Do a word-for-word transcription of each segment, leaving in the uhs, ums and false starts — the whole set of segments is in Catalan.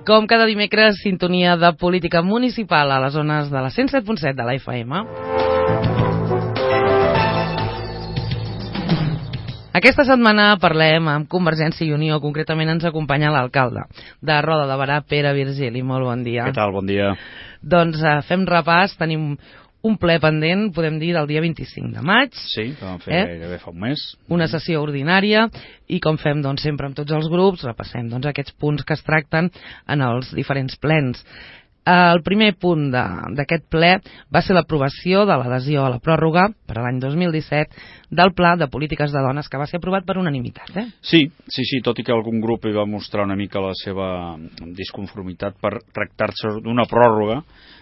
Com cada dimecres, sintonia de política municipal a les zones de la cent set punt set de la F M. Aquesta setmana parlem amb Convergència i Unió, concretament ens acompanya l'alcalde de Roda de Berà, Pere Virgili. Molt bon dia. Què tal? Bon dia. Doncs uh, fem repàs, tenim un ple pendent, podem dir, del dia vint-i-cinc de maig. Sí, que vam fer eh? gairebé fa un mes. Una sessió ordinària i com fem doncs, sempre amb tots els grups, repassem doncs, aquests punts que es tracten en els diferents plens. El primer punt d'aquest ple va ser l'aprovació de l'adhesió a la pròrroga per a l'any dos mil disset del Pla de Polítiques de Dones, que va ser aprovat per unanimitat. Eh? Sí, sí, sí, tot i que algun grup hi va mostrar una mica la seva disconformitat per tractar-se d'una pròrroga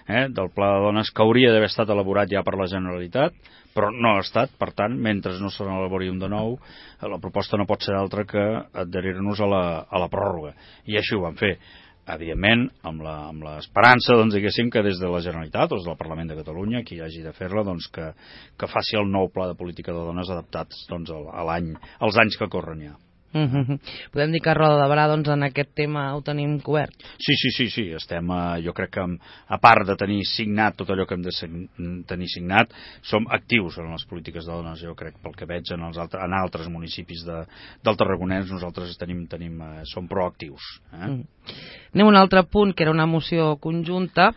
eh, del Pla de Dones que hauria d'haver estat elaborat ja per la Generalitat, però no ha estat. Per tant, mentre no se n'elabori un de nou, la proposta no pot ser altra que adherir-nos a la, a la pròrroga. I així ho vam fer. Evidentment, amb l'esperança, doncs, diguéssim, que des de la Generalitat o des del Parlament de Catalunya, qui hagi de fer-la, doncs, que, que faci el nou pla de política de dones adaptats doncs, a l'any, als anys que corren ja. Mm-hmm. Podem dir que a Roda de Berà doncs, en aquest tema ho tenim cobert? Sí, sí, sí, sí. Estem, eh, jo crec que a part de tenir signat tot allò que hem de tenir signat, som actius en les polítiques de dones, jo crec, pel que veig en, els altres, en altres municipis de, del Tarragonès, nosaltres tenim, tenim, eh, som proactius. Eh? Mm. Anem a un altre punt, que era una moció conjunta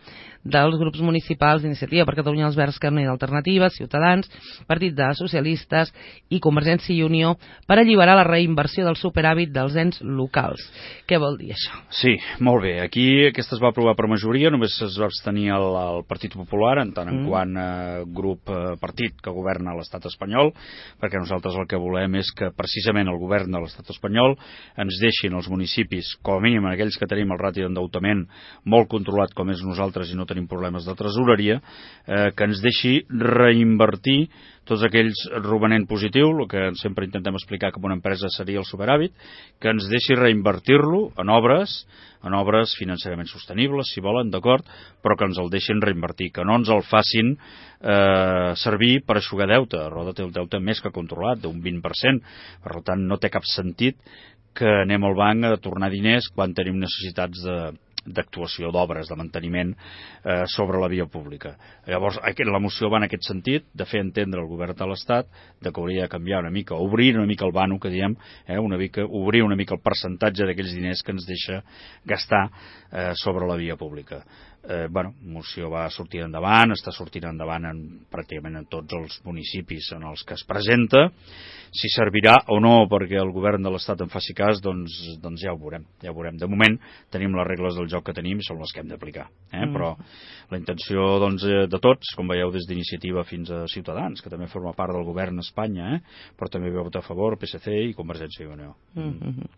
dels grups municipals d'Iniciativa per Catalunya, els Verds, Carme d'Alternativa, Ciutadans, Partit de Socialistes i Convergència i Unió per alliberar la reinversió del superàvit dels ens locals. Què vol dir això? Sí, molt bé. Aquí aquesta es va aprovar per majoria, només es va abstenir el, el Partit Popular, en tant en mm. quant eh, grup eh, partit que governa l'estat espanyol, perquè nosaltres el que volem és que precisament el govern de l'estat espanyol ens deixin els municipis, com a mínim aquells que tenim el ràtio d'endeutament molt controlat com és nosaltres i no tenim problemes de tresoreria, eh, que ens deixi reinvertir tots aquells romanent positiu, el que sempre intentem explicar que una empresa seria el superàvit, que ens deixi reinvertir-lo en obres, en obres financerament sostenibles, si volen, d'acord, però que ens el deixin reinvertir, que no ens el facin eh, servir per eixugar deute. Roda té el deute més que controlat, d'un vint per cent, per tant no té cap sentit que anem al banc a tornar diners quan tenim necessitats de d'actuació d'obres, de manteniment eh, sobre la via pública. Llavors, la moció va en aquest sentit, de fer entendre al govern de l'Estat de que hauria de canviar una mica, obrir una mica el vano, que diem, eh, una mica, obrir una mica el percentatge d'aquells diners que ens deixa gastar eh, sobre la via pública. Eh, bueno, moció va sortir endavant, està sortint endavant en, pràcticament en tots els municipis en els que es presenta. Si servirà o no perquè el govern de l'Estat en faci cas, doncs, doncs ja ho veurem, ja ho veurem. De moment tenim les regles del joc que tenim i són les que hem d'aplicar. Eh? Mm. Però la intenció doncs, de tots, com veieu des d'Iniciativa fins a Ciutadans, que també forma part del govern a Espanya, eh? però també veu votar a favor P S C i Convergència i Unió. Mm-hmm.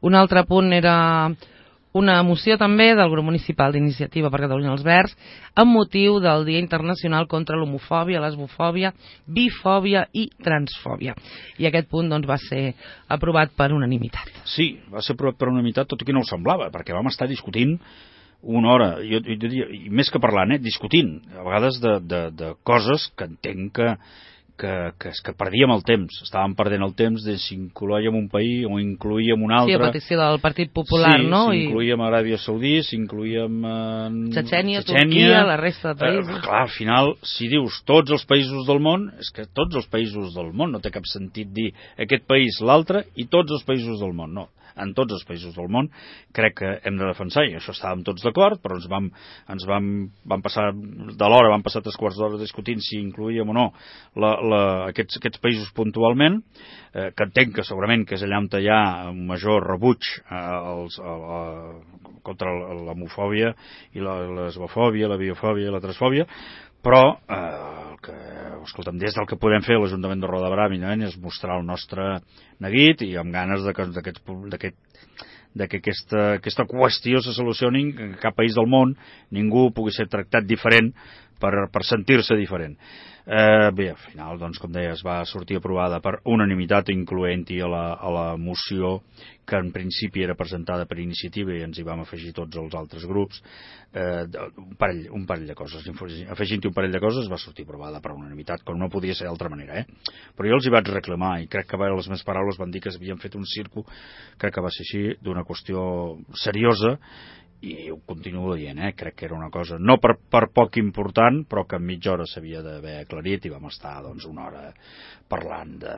Un altre punt era una moció també del grup municipal d'Iniciativa per Catalunya els Verds amb motiu del Dia Internacional contra l'homofòbia, lesbofòbia, bifòbia i transfòbia. I aquest punt doncs, va ser aprovat per unanimitat. Sí, va ser aprovat per unanimitat, tot i que no ho semblava, perquè vam estar discutint una hora, jo, jo diria, i més que parlant, eh, discutint, a vegades de, de, de coses que entenc que Que, que, que perdíem el temps, estàvem perdent el temps de si incloíem un país o incloíem un altre. Sí, a petició del Partit Popular, sí, no? Si incloíem Aràbia Saudí, si incloíem eh, Txetxènia, Turquia, la resta de països. Eh, clar, al final, si dius tots els països del món, és que tots els països del món, no té cap sentit dir aquest país, l'altre, i tots els països del món, no. En tots els països del món crec que hem de defensar, i això estàvem tots d'acord, però ens vam, ens vam, vam passar de l'hora, vam passar tres quarts d'hora discutint si incloíem o no la, la, aquests, aquests països puntualment, eh, que entenc que segurament que és allà on hi ha un major rebuig eh, als, a, a, contra l'homofòbia i la lesbofòbia, la biofòbia i la transfòbia, però eh, el que, escolta'm, des del que podem fer l'Ajuntament de Roda de Berà és mostrar el nostre neguit i amb ganes de que, d'aquest, d'aquest, de que aquesta, aquesta qüestió se solucioni, que cap país del món ningú pugui ser tractat diferent per, per sentir-se diferent. Eh, bé, al final, doncs, com deia, es va sortir aprovada per unanimitat, incloent-hi a, la, a la moció que en principi era presentada per iniciativa i ens hi vam afegir tots els altres grups, eh, un, parell, un parell de coses. Afegint-hi un parell de coses va sortir aprovada per unanimitat, com no podia ser d'altra manera. Eh? Però jo els hi vaig reclamar i crec que a les meves paraules van dir que havien fet un circo, crec que va ser així, d'una qüestió seriosa, i ho continuo dient, eh? Crec que era una cosa no per, per poc important, però que en mitja hora s'havia d'haver aclarit i vam estar doncs, una hora parlant de,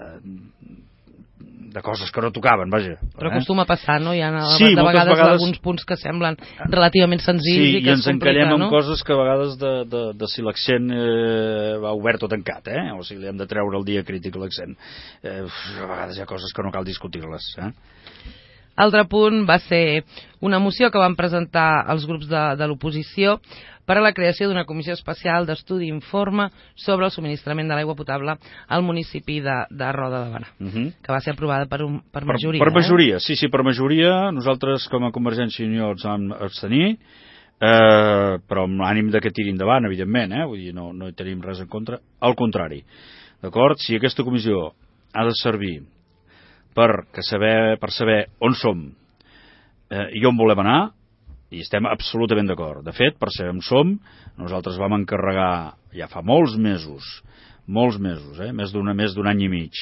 de coses que no tocaven, vaja. Però acostuma a passar, no? Hi ha sí, de vegades, vegades alguns punts que semblen relativament senzills sí, i que i ens es complica, encallem no? amb coses que a vegades de, de, de si l'accent eh, va obert o tancat, eh? O sigui, li hem de treure el dia crític l'accent. Eh, a vegades hi ha coses que no cal discutir-les, eh? Altre punt va ser una moció que van presentar els grups de, de l'oposició per a la creació d'una comissió especial d'estudi i informe sobre el subministrament de l'aigua potable al municipi de, de Roda de Berà, uh -huh. que va ser aprovada per, un, per majoria. Per, per majoria, eh? sí, sí, per majoria. Nosaltres, com a Convergència i Unió, ens vam abstenir, eh, però amb l'ànim de que tiri endavant, evidentment, eh? Vull dir, no, no hi tenim res en contra. Al contrari, d'acord? Si aquesta comissió ha de servir per, que saber, per saber on som eh, i on volem anar, i estem absolutament d'acord. De fet, per saber on som, nosaltres vam encarregar ja fa molts mesos, molts mesos, eh, més d'un més d'un any i mig,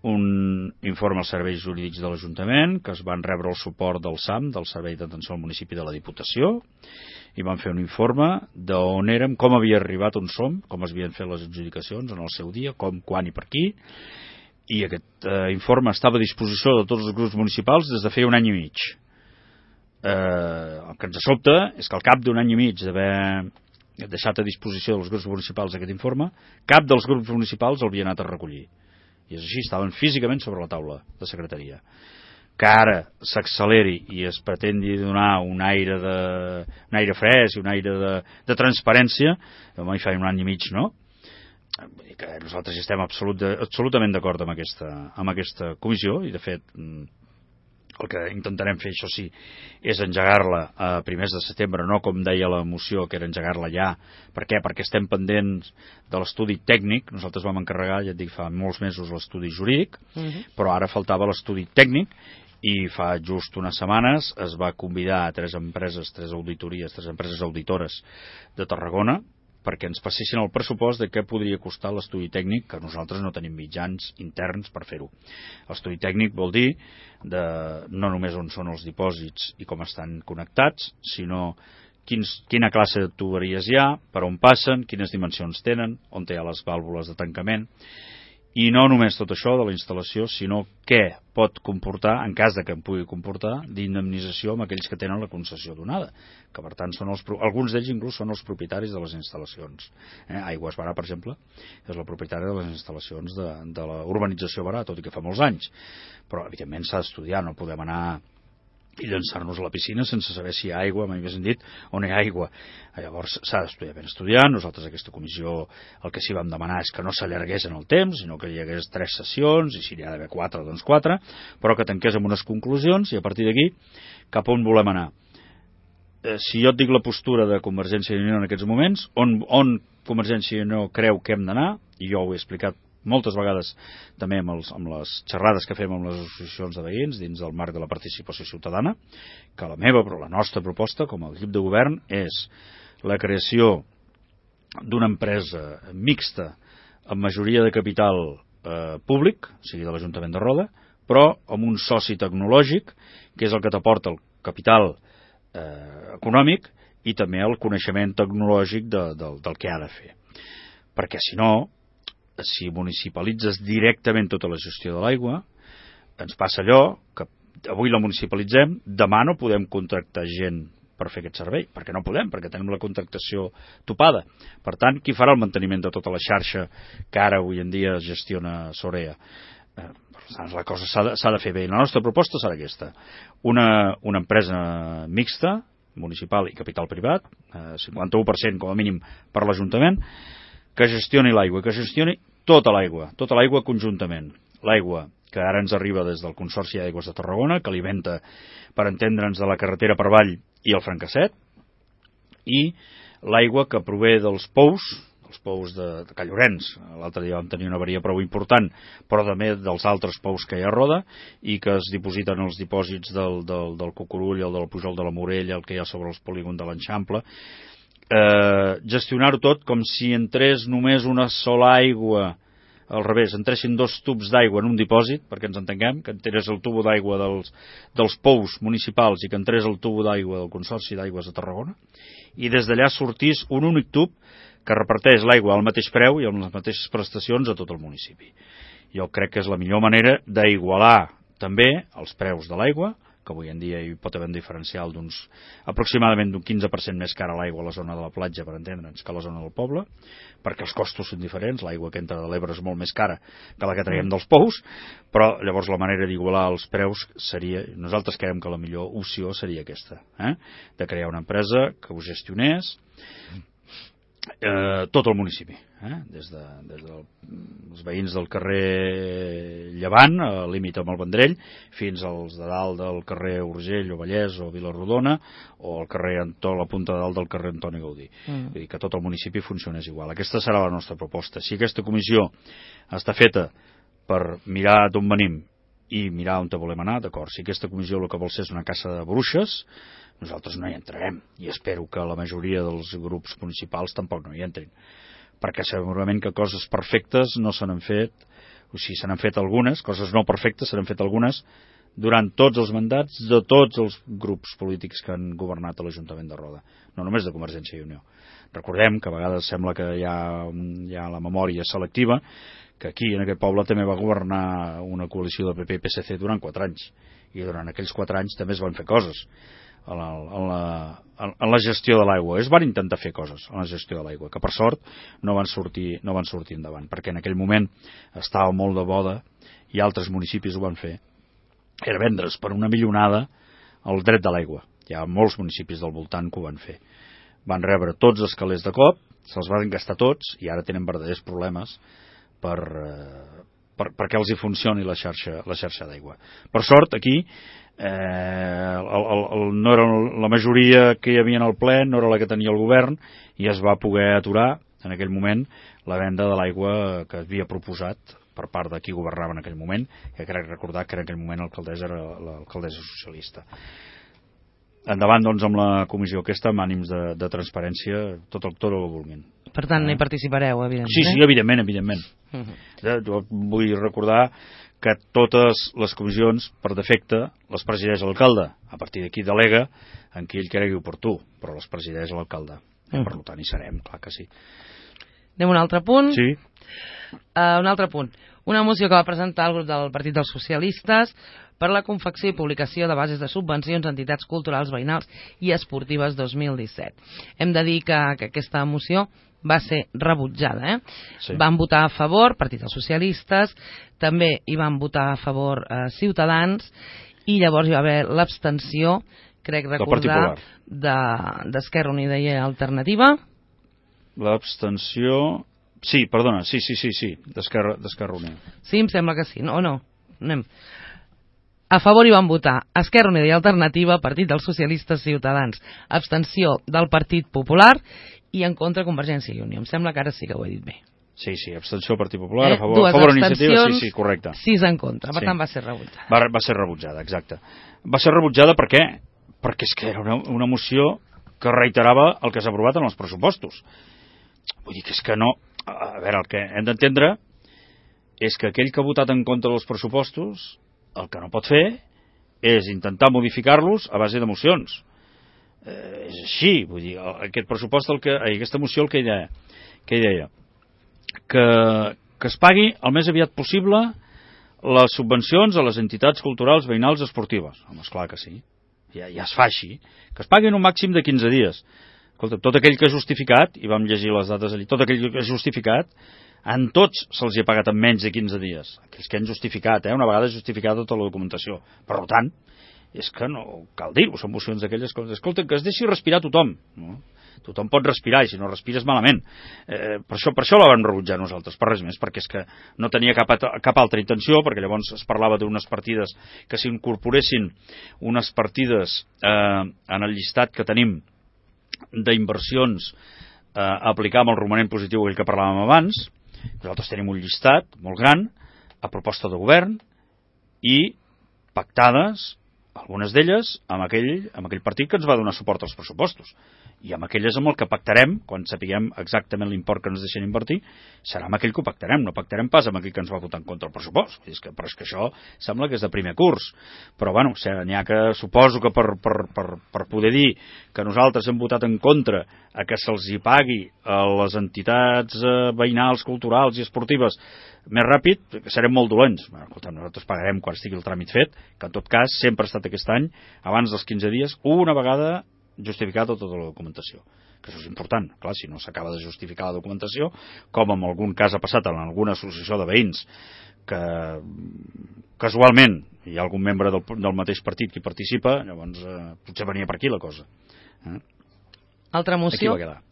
un informe als serveis jurídics de l'Ajuntament, que es van rebre el suport del S A M, del Servei d'Atenció al Municipi de la Diputació, i van fer un informe d'on érem, com havia arribat on som, com es havien fet les adjudicacions en el seu dia, com, quan i per qui, i aquest eh, informe estava a disposició de tots els grups municipals des de feia un any i mig. Eh, el que ens sobta és que al cap d'un any i mig d'haver deixat a disposició dels grups municipals aquest informe, cap dels grups municipals l'havia anat a recollir. I és així, estaven físicament sobre la taula de secretaria. Que ara s'acceleri i es pretendi donar un aire, de, un aire fresc i un aire de, de transparència, mai fa un any i mig, no? Vull dir que nosaltres estem absolut de, absolutament d'acord amb aquesta, amb aquesta comissió i de fet el que intentarem fer, això sí, és engegar-la a primers de setembre, no com deia la moció, que era engegar-la ja. Per què? Perquè estem pendents de l'estudi tècnic. Nosaltres vam encarregar, ja et dic, fa molts mesos l'estudi jurídic, uh-huh. però ara faltava l'estudi tècnic i fa just unes setmanes es va convidar a tres empreses, tres auditories, tres empreses auditores de Tarragona perquè ens passessin el pressupost de què podria costar l'estudi tècnic, que nosaltres no tenim mitjans interns per fer-ho. L'estudi tècnic vol dir de, no només on són els dipòsits i com estan connectats, sinó quins, quina classe de tuberies hi ha, per on passen, quines dimensions tenen, on hi ha les vàlvules de tancament, i no només tot això de la instal·lació, sinó què pot comportar, en cas de que en pugui comportar, d'indemnització amb aquells que tenen la concessió donada, que per tant són els, alguns d'ells inclús són els propietaris de les instal·lacions. Eh? Aigües Berà, per exemple, és la propietària de les instal·lacions de, de la urbanització Berà, tot i que fa molts anys. Però, evidentment, s'ha d'estudiar, no podem anar i llançar-nos a la piscina sense saber si hi ha aigua, mai més dit, on hi ha aigua. Llavors s'ha d'estudiar ben estudiant. Nosaltres aquesta comissió el que sí vam demanar és que no s'allargués en el temps, sinó que hi hagués tres sessions, i si n'hi ha d'haver quatre, doncs quatre, però que tanqués amb unes conclusions i a partir d'aquí cap on volem anar. Eh, si jo et dic la postura de Convergència i Unió en aquests moments, on, on Convergència i Unió creu que hem d'anar, i jo ho he explicat moltes vegades també amb, els, amb les xerrades que fem amb les associacions de veïns dins del marc de la participació ciutadana, que la meva, però la nostra proposta com a equip de govern és la creació d'una empresa mixta amb majoria de capital eh, públic, o sigui de l'Ajuntament de Roda, però amb un soci tecnològic, que és el que t'aporta el capital eh, econòmic i també el coneixement tecnològic de, de, del que ha de fer. Perquè si no, si municipalitzes directament tota la gestió de l'aigua, ens passa allò que avui la municipalitzem, demà no podem contractar gent per fer aquest servei, perquè no podem, perquè tenim la contractació topada. Per tant, qui farà el manteniment de tota la xarxa que ara avui en dia gestiona Sorea? Eh, per tant, la cosa s'ha de, s'ha de fer bé. La nostra proposta serà aquesta. Una, una empresa mixta, municipal i capital privat, eh, cinquanta-u per cent com a mínim per l'Ajuntament, que gestioni l'aigua, que gestioni tota l'aigua, tota l'aigua conjuntament. L'aigua que ara ens arriba des del Consorci d'Aigües de Tarragona, que alimenta, per entendre'ns, de la carretera per avall i el Francasset, i l'aigua que prové dels pous, del els pous de, de Callorenç. L'altre dia vam tenir una avaria prou important, però també dels altres pous que hi ha a Roda, i que es dipositen els dipòsits del, del, del Cucurull, el del Pujol de la Morella, el que hi ha sobre els polígons de l'Enxample. Eh, gestionar-ho tot com si entrés només una sola aigua, al revés, entressin dos tubs d'aigua en un dipòsit, perquè ens entenguem, que entrés el tubo d'aigua dels, dels pous municipals i que entrés el tubo d'aigua del Consorci d'Aigües de Tarragona, i des d'allà sortís un únic tub que reparteix l'aigua al mateix preu i amb les mateixes prestacions a tot el municipi. Jo crec que és la millor manera d'igualar també els preus de l'aigua, que avui en dia hi pot haver un diferencial d'uns aproximadament d'un quinze per cent més cara l'aigua a la zona de la platja, per entendre'ns, que a la zona del poble, perquè els costos són diferents, l'aigua que entra de l'Ebre és molt més cara que la que traiem dels pous, però llavors la manera d'igualar els preus seria, nosaltres creiem que la millor opció seria aquesta, eh? De crear una empresa que ho gestionés eh, tot el municipi, eh? des de, des dels veïns del carrer Llevant, al límit amb el Vendrell, fins als de dalt del carrer Urgell o Vallès o Vilarrodona, o al carrer Antó, la punta de dalt del carrer Antoni Gaudí. Mm. Vull dir que tot el municipi funcionés igual. Aquesta serà la nostra proposta. Si aquesta comissió està feta per mirar d'on venim i mirar on te volem anar, d'acord. Si aquesta comissió el que vol ser és una caça de bruixes, nosaltres no hi entrarem, i espero que la majoria dels grups municipals tampoc no hi entrin, perquè segurament que coses perfectes no se n'han fet, o sigui, se n'han fet algunes, coses no perfectes se n'han fet algunes durant tots els mandats de tots els grups polítics que han governat a l'Ajuntament de Roda, no només de Convergència i Unió. Recordem que a vegades sembla que hi ha, hi ha la memòria selectiva, que aquí en aquest poble també va governar una coalició de P P i P S C durant quatre anys, i durant aquells quatre anys també es van fer coses en la, en la, en la gestió de l'aigua. Es van intentar fer coses en la gestió de l'aigua, que per sort no van sortir, no van sortir endavant, perquè en aquell moment estava molt de boda i altres municipis ho van fer. Era vendre's per una milionada el dret de l'aigua. Hi ha molts municipis del voltant que ho van fer. Van rebre tots els calés de cop, se'ls van gastar tots i ara tenen verdaders problemes per, per, perquè els hi funcioni la xarxa, la xarxa d'aigua. Per sort, aquí, eh, el, el, el, no era la majoria que hi havia en el ple, no era la que tenia el govern, i es va poder aturar, en aquell moment, la venda de l'aigua que havia proposat per part de qui governava en aquell moment, que crec recordar que en aquell moment l'alcaldessa era l'alcaldessa socialista. Endavant, doncs, amb la comissió aquesta, amb ànims de, de transparència, tot el, tot el que vulguin. Per tant, no hi participareu, evidentment. Sí, sí, evidentment, evidentment. Uh-huh. Vull recordar que totes les comissions, per defecte, les presideix l'alcalde. A partir d'aquí delega en qui ell cregui oportú, però les presideix l'alcalde. Uh-huh. Per tant, hi serem, clar que sí. Anem a un altre punt. Sí. Uh, un altre punt. Una moció que va presentar el grup del Partit dels Socialistes per la confecció i publicació de bases de subvencions a entitats culturals, veïnals i esportives dos mil disset. Hem de dir que, que aquesta moció va ser rebutjada. Eh? Sí. Van votar a favor, Partit dels Socialistes, també hi van votar a favor eh, Ciutadans, i llavors hi va haver l'abstenció, crec recordar, d'Esquerra Unida i Alternativa. L'abstenció... Sí, perdona, sí, sí, sí, sí, d'Esquerra Unida. Sí, em sembla que sí, no, o no? Anem. A favor hi van votar Esquerra Unida i Alternativa, Partit dels Socialistes, Ciutadans, abstenció del Partit Popular i en contra Convergència i Unió. Em sembla que ara sí que ho he dit bé. Sí, sí, abstenció del Partit Popular, eh? a favor, a favor iniciativa, sí, sí, correcte. Sis en contra, per sí. tant va ser rebutjada. Va, va ser rebutjada, exacte. Va ser rebutjada per què? Perquè és que era una, una moció que reiterava el que s'ha aprovat en els pressupostos. Vull dir que és que no... A veure, el que hem d'entendre és que aquell que ha votat en contra dels pressupostos el que no pot fer és intentar modificar-los a base de mocions. Eh, és així, vull dir, aquest pressupost, el que, aquesta moció el que hi deia, que, hi deia que, que es pagui el més aviat possible les subvencions a les entitats culturals, veïnals i esportives. Home, esclar que sí, ja, ja es fa així, que es paguin un màxim de quinze dies. Escolta, tot aquell que ha justificat, i vam llegir les dates allí, tot aquell que ha justificat, en tots se'ls ha pagat en menys de quinze dies. Aquells que han justificat, eh? Una vegada justificat tota la documentació. Per tant, és que no cal dir-ho, són mocions d'aquelles coses. Escolta, que es deixi respirar tothom. No? Tothom pot respirar, i si no respires malament. Eh, per, això, per això la vam rebutjar nosaltres, per res més, perquè és que no tenia cap, cap altra intenció, perquè llavors es parlava d'unes partides que s'incorporessin unes partides eh, en el llistat que tenim d'inversions eh, aplicar amb el romanent positiu aquell que parlàvem abans. Nosaltres tenim un llistat molt gran a proposta de govern i pactades, algunes d'elles, amb aquell, amb aquell partit que ens va donar suport als pressupostos. I amb aquelles amb el que pactarem, quan sapiguem exactament l'import que ens deixen invertir, serà amb aquell que ho pactarem, no pactarem pas amb aquell que ens va votar en contra el pressupost. És que, però és que això sembla que és de primer curs. Però bueno, n'hi ha que, suposo que per, per, per, per poder dir que nosaltres hem votat en contra a que se'ls hi pagui a les entitats eh, veïnals, culturals i esportives més ràpid, que serem molt dolents. Bueno, escolta, nosaltres pagarem quan estigui el tràmit fet, que en tot cas sempre ha estat aquest any, abans dels quinze dies, una vegada justificat tota la documentació. Que això és important. Clar, si no s'acaba de justificar la documentació, com en algun cas ha passat en alguna associació de veïns, que casualment hi ha algun membre del, del mateix partit que hi participa, llavors eh, potser venia per aquí la cosa. Eh? Altra moció? Aquí va quedar.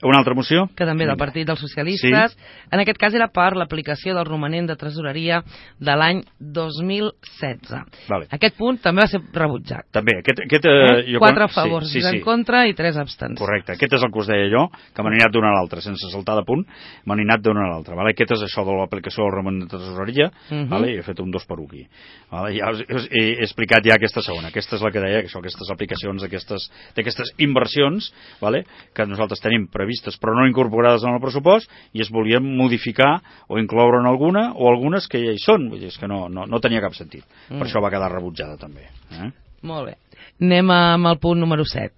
Una altra moció? Que també del Partit dels Socialistes. Sí. En aquest cas era per l'aplicació del romanent de tresoreria de l'any dos mil setze. Vale. Aquest punt també va ser rebutjat. També. Aquest, aquest, eh, eh? jo Quatre quan... favors sí, sí, sí. en contra i tres abstencions. Correcte. Aquest és el que us deia jo, que m'han anat d'una a l'altra, sense saltar de punt, m'han anat d'una a l'altra. Vale? Aquest és això de l'aplicació del romanent de tresoreria, uh -huh. Vale? I he fet un dos per un aquí. Vale? Ja us, us, he, he explicat ja aquesta segona. Aquesta és la que deia, que això, aquestes aplicacions d'aquestes inversions, vale? Que nosaltres tenim previstes, però no incorporades en el pressupost, i es volien modificar o incloure en alguna, o algunes que ja hi són. Vull dir, és que no, no, no tenia cap sentit. Mm. Per això va quedar rebutjada també. Eh? Molt bé. Anem amb el punt número set,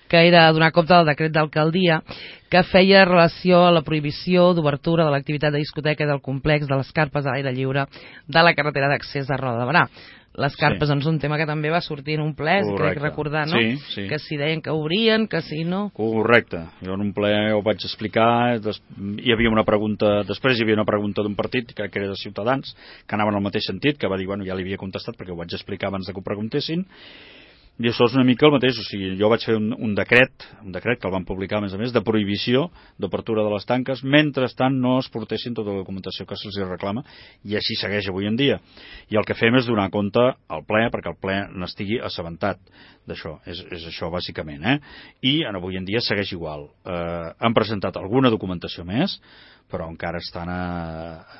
que era donar compte del decret d'alcaldia que feia relació a la prohibició d'obertura de l'activitat de discoteca del complex de les carpes a l'aire lliure de la carretera d'accés de Roda de Berà. Les carpes, sí. Doncs un tema que també va sortir en un ple, crec recordar, no? Sí, sí. Que si deien que obrien, que si no... Correcte. Jo en un ple ho vaig explicar, des... hi havia una pregunta, després hi havia una pregunta d'un partit, crec que era de Ciutadans, que anava en el mateix sentit, que va dir, bueno, ja li havia contestat perquè ho vaig explicar abans de que ho preguntessin, i això és una mica el mateix. O sigui, jo vaig fer un, un decret, un decret que el van publicar a més a més, de prohibició d'obertura de les tanques, mentrestant no es portessin tota la documentació que se'ls reclama, i així segueix avui en dia. I el que fem és donar compte al ple, perquè el ple n'estigui assabentat d'això. És, és això bàsicament, eh? I avui en dia segueix igual. Eh, han presentat alguna documentació més, però encara estan a...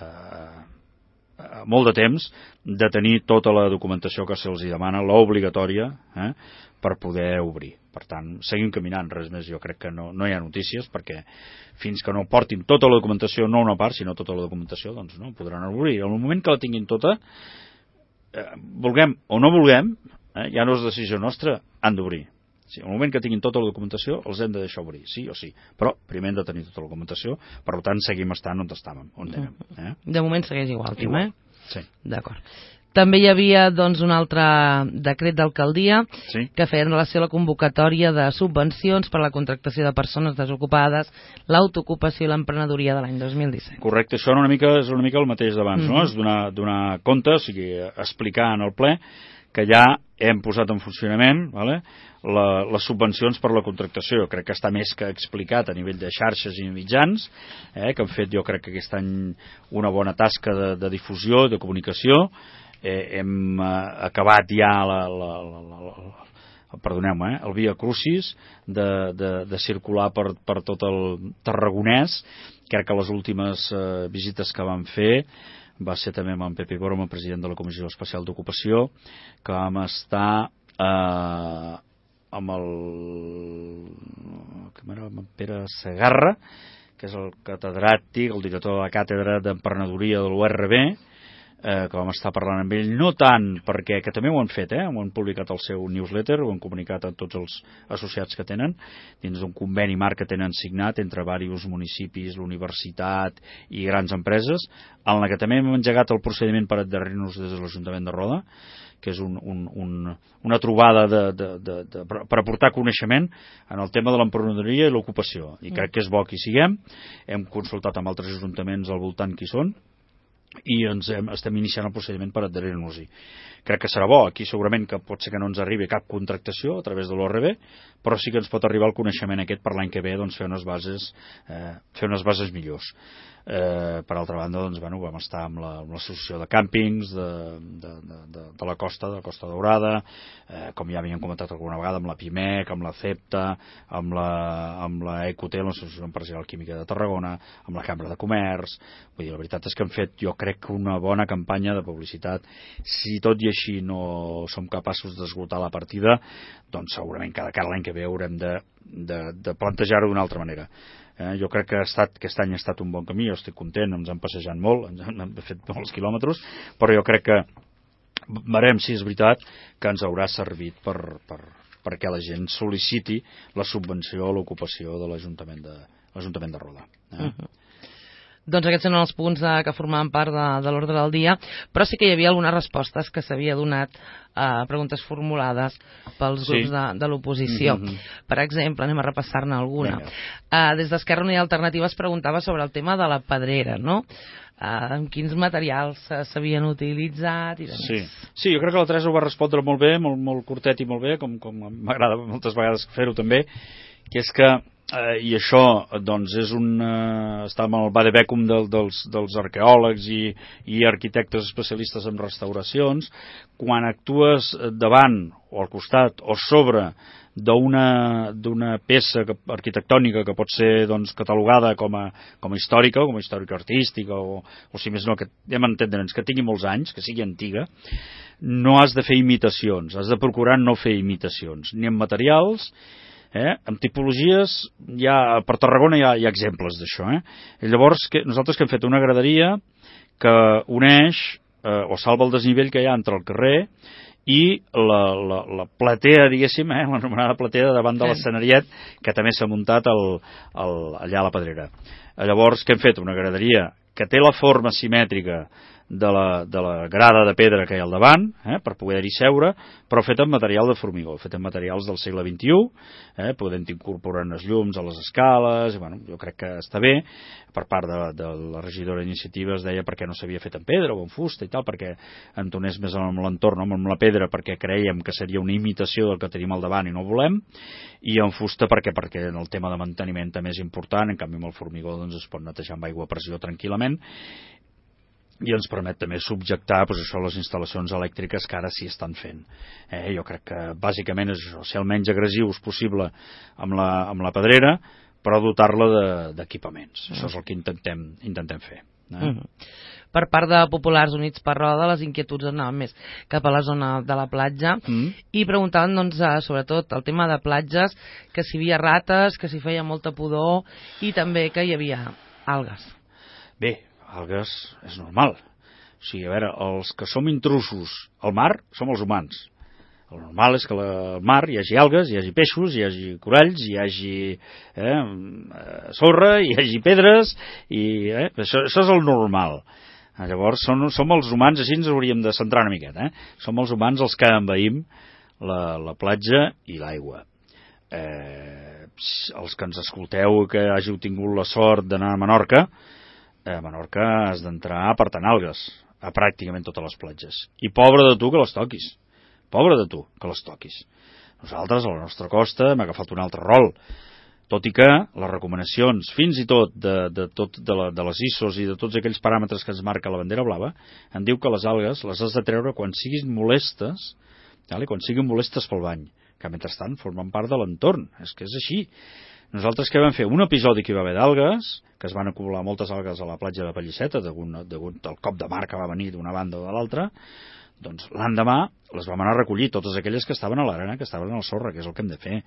a molt de temps de tenir tota la documentació que se'ls demana, l'obligatòria, eh, per poder obrir. Per tant, seguim caminant, res més. Jo crec que no, no hi ha notícies, perquè fins que no portin tota la documentació, no una part, sinó tota la documentació, doncs no podran obrir. En el moment que la tinguin tota, eh, vulguem o no vulguem, eh, ja no és decisió nostra, han d'obrir. Sí, en el moment que tinguin tota la documentació els hem de deixar obrir, sí o sí, però primer hem de tenir tota la documentació, per tant seguim estant on estàvem, on anem. Eh? De moment segueix igual, Tim, eh? Sí. D'acord. També hi havia doncs, un altre decret d'alcaldia, sí, que feia en relació a la convocatòria de subvencions per a la contractació de persones desocupades, l'autoocupació i l'emprenedoria de l'any dos mil disset. Correcte, això una mica, és una mica el mateix d'abans, mm-hmm. no? És donar, donar compte, o sigui, explicar en el ple que ja hem posat en funcionament, vale, la, les subvencions per la contractació. Crec que està més que explicat a nivell de xarxes i mitjans, eh, que han fet jo crec que aquest any una bona tasca de, de difusió, de comunicació. Eh, hem eh, acabat ja la, la, la, la, la, perdoneu-me, eh, el Via Crucis de, de, de circular per, per tot el Tarragonès. Crec que les últimes eh, visites que vam fer va ser també amb en Pepe Boroma, president de la Comissió Especial d'Ocupació, que vam estar eh, amb el com era, amb en Pere Segarra, que és el catedràtic, el director de la càtedra d'emprenedoria de l'U R B, eh, que vam estar parlant amb ell, no tant perquè, que també ho han fet, eh, ho han publicat al seu newsletter, ho han comunicat a tots els associats que tenen, dins d'un conveni marc que tenen signat entre diversos municipis, l'universitat i grans empreses, en la que també hem engegat el procediment per adherir-nos des de l'Ajuntament de Roda, que és un, un, un, una trobada de, de, de, de, per aportar coneixement en el tema de l'emprenedoria i l'ocupació. I crec que és bo que hi siguem. Hem consultat amb altres ajuntaments al voltant qui són, i ens hem, estem iniciant el procediment per adherir-nos-hi. Crec que serà bo, aquí segurament que pot ser que no ens arribi cap contractació a través de l'O R B, però sí que ens pot arribar el coneixement aquest per l'any que ve, doncs fer unes bases, eh, fer unes bases millors. Eh, per altra banda, doncs, bueno, vam estar amb l'associació la, de càmpings de, de, de, de, de la costa, de la Costa Daurada, eh, com ja havíem comentat alguna vegada, amb la PIMEC, amb la CEPTA, amb la, amb la EQT, l'Associació Empresarial Química de Tarragona, amb la Cambra de Comerç. Vull dir, la veritat és que hem fet, jo crec, una bona campanya de publicitat. Si tot i així no som capaços d'esgotar la partida, doncs segurament cada cara l'any que ve haurem de, de, de plantejar-ho d'una altra manera. Eh, jo crec que ha estat, aquest any ha estat un bon camí, jo estic content, ens han passejat molt, ens han fet molts quilòmetres, però jo crec que veurem si és veritat que ens haurà servit per, per, perquè la gent sol·liciti la subvenció a l'ocupació de l'Ajuntament de, l'Ajuntament de Roda. Eh? Uh-huh. Doncs aquests són els punts de, que formaven part de, de l'ordre del dia, però sí que hi havia algunes respostes que s'havia donat a preguntes formulades pels grups sí. de, de l'oposició. Mm-hmm. Per exemple, anem a repassar-ne alguna. Uh, des d'Esquerra Unida Alternativa es preguntava sobre el tema de la pedrera, no? Uh, amb quins materials s'havien utilitzat i sí. sí, jo crec que la Teresa ho va respondre molt bé, molt, molt curtet i molt bé, com, com m'agrada moltes vegades fer-ho també, que és que Eh, i això doncs és un eh, està amb el vademecum del, dels, dels arqueòlegs i, i arquitectes especialistes en restauracions. Quan actues davant o al costat o sobre d'una d'una peça que, arquitectònica que pot ser doncs, catalogada com a, com a històrica o com a històrica artística o, o si més no, que hem d'entendre'ns que tingui molts anys, que sigui antiga, no has de fer imitacions, has de procurar no fer imitacions ni en materials. Eh? En tipologies, ja, per Tarragona hi ha, hi ha exemples d'això. Eh? I llavors, que, nosaltres que hem fet una graderia que uneix eh, o salva el desnivell que hi ha entre el carrer i la, la, la platea, diguéssim, eh? l'anomenada platea davant de l'escenariet, que també s'ha muntat el, el, allà a la Pedrera. Llavors, que hem fet una graderia que té la forma simètrica de la, de la grada de pedra que hi ha al davant, eh, per poder-hi seure, però fet amb material de formigó, fet amb materials del segle vint-i-u, eh, podent incorporar els llums a les escales, i, bueno, jo crec que està bé. Per part de, de la regidora d'iniciativa es deia perquè no s'havia fet en pedra o en fusta i tal, perquè entonés més amb l'entorn, no? Amb la pedra, perquè creiem que seria una imitació del que tenim al davant i no volem, i en fusta perquè, perquè en el tema de manteniment també és important, en canvi amb el formigó doncs, es pot netejar amb aigua a pressió tranquil·lament, i ens permet també subjectar doncs, això, les instal·lacions elèctriques que ara sí estan fent. Eh, jo crec que bàsicament és això, ser el menys agressius possible amb la, amb la pedrera, però dotar-la d'equipaments. De, això és el que intentem, intentem fer. Eh? Mm. Per part de Populars Units per Roda, les inquietuds anaven més cap a la zona de la platja mm. i preguntaven, doncs, sobretot el tema de platges, que si hi havia rates, que si feia molta pudor i també que hi havia algues. Bé, algues és normal. O sigui, a veure, els que som intrusos al mar som els humans. El normal és que al mar hi hagi algues, hi hagi peixos, hi hagi coralls, hi hagi eh, sorra, hi hagi pedres, i eh, això, això és el normal. Llavors, som, som els humans, així ens hauríem de centrar una miqueta. Eh? Som els humans els que envaïm la, la platja i l'aigua. Eh, els que ens escolteu que hàgiu tingut la sort d'anar a Menorca, a Menorca has d'entrar apartant algues a pràcticament totes les platges. I pobre de tu que les toquis. Pobre de tu que les toquis. Nosaltres, a la nostra costa, hem agafat un altre rol. Tot i que les recomanacions, fins i tot de, de, tot de, la, de les I S Os i de tots aquells paràmetres que ens marca la bandera blava, en diu que les algues les has de treure quan siguin molestes, vale? Quan siguin molestes pel bany, que mentrestant formen part de l'entorn. És que és així. Nosaltres què vam fer? Un episodi que hi va haver d'algues, que es van acumular moltes algues a la platja de Pallisseta, degut, degut al cop de mar que va venir d'una banda o de l'altra, doncs l'endemà les vam anar a recollir, totes aquelles que estaven a l'arena, que estaven al sorra, que és el que hem de fer.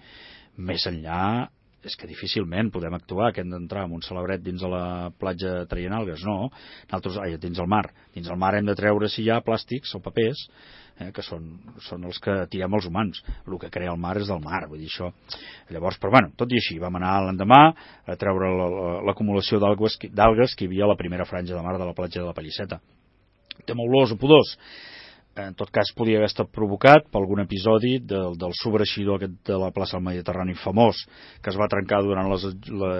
Més enllà, és que difícilment podem actuar, que hem d'entrar amb un celebret dins de la platja traient algues, no. Nosaltres, ai, dins el mar. Dins el mar hem de treure, si hi ha plàstics o papers, eh, que són, són els que tirem els humans. El que crea el mar és del mar, vull dir això. Llavors, però bueno, tot i així, vam anar l'endemà a treure l'acumulació d'algues que hi havia a la primera franja de mar de la platja de la Pallisseta. Tema olors o pudors? en tot cas podia haver estat provocat per algun episodi del, del sobreixidor aquest de la plaça del Mediterrani famós, que es va trencar durant les, la,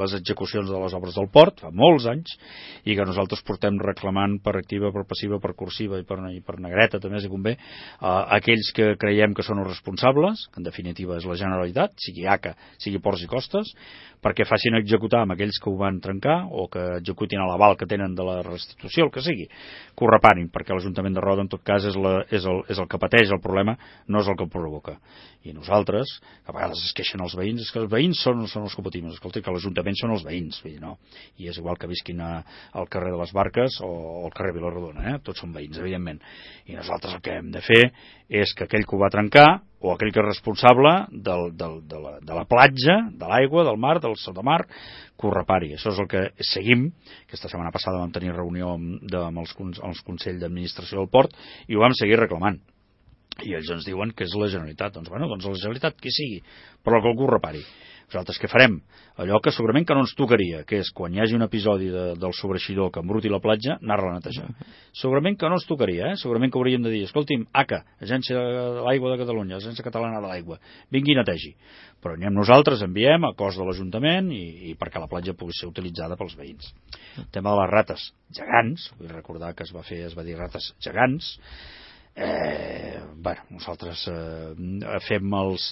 les execucions de les obres del port, fa molts anys, i que nosaltres portem reclamant per activa, per passiva, per cursiva i per, i per negreta, també si convé, a aquells que creiem que són els responsables, que en definitiva és la Generalitat, sigui A C A, sigui Ports i Costes, perquè facin executar amb aquells que ho van trencar o que executin a l'aval que tenen de la restitució, el que sigui, que ho reparin, perquè l'Ajuntament de Roda en tot cas és, la, és, el, és el que pateix el problema, no és el que el provoca. I nosaltres, que a vegades es queixen els veïns, és que els veïns són, són els que patim, escolta, que l'Ajuntament són els veïns, vull dir, no? I és igual que visquin a, al carrer de les Barques o al carrer Vilarrodona, eh? Tots són veïns, evidentment. I nosaltres el que hem de fer és que aquell que ho va trencar, o aquell que és responsable del, del, de, la, de la platja, de l'aigua, del mar, del sottomar, que ho repari. Això és el que seguim. Aquesta setmana passada vam tenir reunió amb, de, amb els, els Consells d'Administració del Port i ho vam seguir reclamant. I ells ens diuen que és la Generalitat. Doncs, bueno, doncs la Generalitat, qui sigui, però que algú ho repari. Nosaltres què farem? Allò que segurament que no ens tocaria, que és quan hi hagi un episodi de, del sobreixidor que embruti la platja, anar-la a netejar. Segurament que no ens tocaria, eh? Segurament que hauríem de dir, escolti'm, A C A, Agència de l'Aigua de Catalunya, Agència Catalana de l'Aigua, vingui i netegi. Però anem nosaltres, enviem a cost de l'Ajuntament i, i perquè la platja pugui ser utilitzada pels veïns. El tema de les rates gegants, vull recordar que es va fer, es va dir rates gegants, Eh, bueno, nosaltres eh, fem els,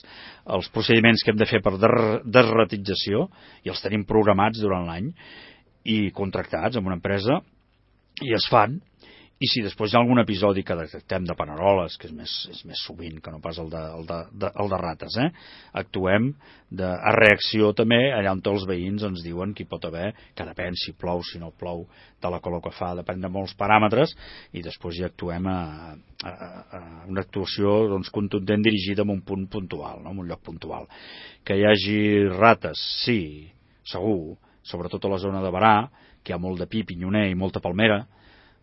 els procediments que hem de fer per desratització i els tenim programats durant l'any i contractats amb una empresa i es fan. I si després hi ha algun episodi que detectem de paneroles, que és més, és més sovint que no pas el de, el de, de, el de rates, eh? Actuem de, a reacció també allà on els veïns ens diuen que hi pot haver, que depèn si plou, si no plou, de la color que fa, depèn de molts paràmetres, i després hi actuem a, a, a una actuació doncs, contundent dirigida a un punt puntual, no? En un lloc puntual. Que hi hagi rates, sí, segur, sobretot a la zona de Barà, que hi ha molt de pi, pinyoner i molta palmera.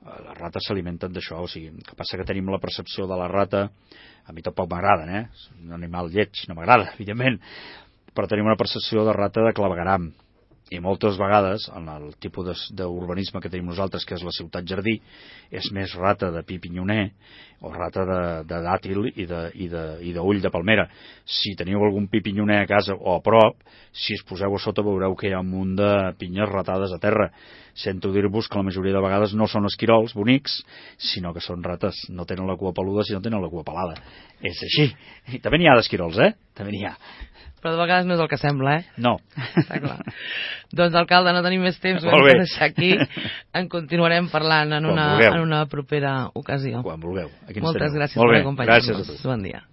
Les rates s'alimenten d'això, o sigui, el que passa que tenim la percepció de la rata, a mi tampoc m'agraden, eh? És un animal lleig, no m'agrada, evidentment, però tenim una percepció de rata de clavegueram, i moltes vegades, en el tipus d'urbanisme que tenim nosaltres, que és la ciutat jardí, és més rata de pi pinyoner o rata de, de dàtil i de, i de, i d'ull de palmera. Si teniu algun pi pinyoner a casa o a prop, si es poseu a sota veureu que hi ha un munt de pinyes ratades a terra. Sento dir-vos que la majoria de vegades no són esquirols bonics, sinó que són rates. No tenen la cua peluda, sinó tenen la cua pelada. És així. I també n'hi ha d'esquirols, eh? També n'hi ha. Però de vegades no és el que sembla, eh? No. Està clar. Doncs, alcalde, no tenim més temps, ho hem de deixar aquí. En continuarem parlant en una, en una propera ocasió. Quan vulgueu. Aquí Moltes teniu. gràcies per acompanyar-nos. Gràcies a tu. Bon dia.